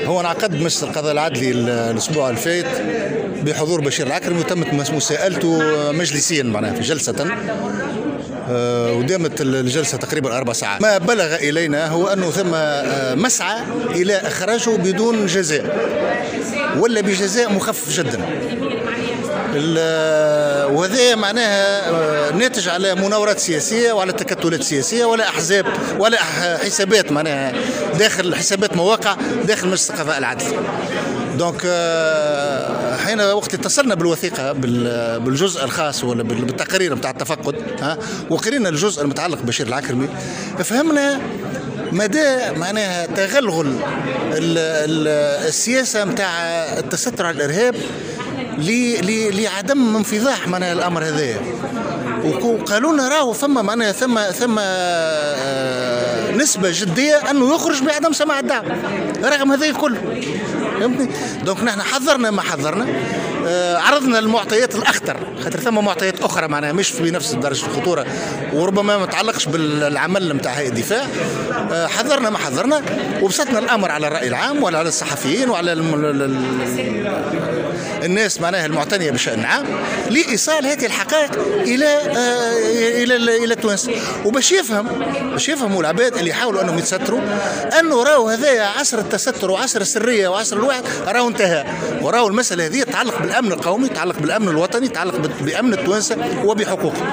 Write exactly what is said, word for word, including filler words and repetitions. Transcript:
هو انعقد مجلس القضاء العدلي الاسبوع الفايت بحضور بشير العكرمي، وتمت مساءلته مجلسيا معناها في جلسه، ودامت الجلسة تقريبا اربع ساعات. ما بلغ الينا هو انه ثم مسعى الى اخراجه بدون جزاء ولا بجزاء مخفف جدا، وهذا معناها ناتج على مناورات سياسية وعلى تكتلات سياسية ولا احزاب ولا حسابات معناها داخل حسابات مواقع داخل مجلس القضاء العدلي. donc حين وقت اتصلنا بالوثيقه بالجزء الخاص ولا بالتقرير نتاع التفقد، ها وقرينا الجزء المتعلق ببشير العكرمي، فهمنا مدى معناها تغلغل السياسة نتاع التستر على الارهاب لعدم انفضاح معناها الامر هذايا. وقالوا لنا راهو ثم معناها ثم ثم نسبه جدية انه يخرج بعدم سماع الدعوة رغم هذا الكل، فهمتني؟ donc نحن حذرنا ما حذرنا، آه عرضنا المعطيات الاخطر، خاطر ثم معطيات اخرى معناها مش في نفس درجه الخطورة وربما ما تتعلقش بالعمل نتاع هيئة الدفاع. آه حذرنا ما حذرنا وبسطنا الامر على الراي العام وعلى الصحفيين وعلى الم... الناس معناها المعتنيه بالشان العام لايصال هذه الحقائق الى آه الى الى تونس، وباش يفهم باش يفهموا العباد اللي يحاولوا انهم يتستروا انه راهو هذايا عصر التستر وعصر السرية وعصر الوعد راهو انتهى، وراهو المسالة هذه تتعلق بالامن القومي، تتعلق بالامن الوطني، تتعلق بامن التوانسة وبحقوقهم.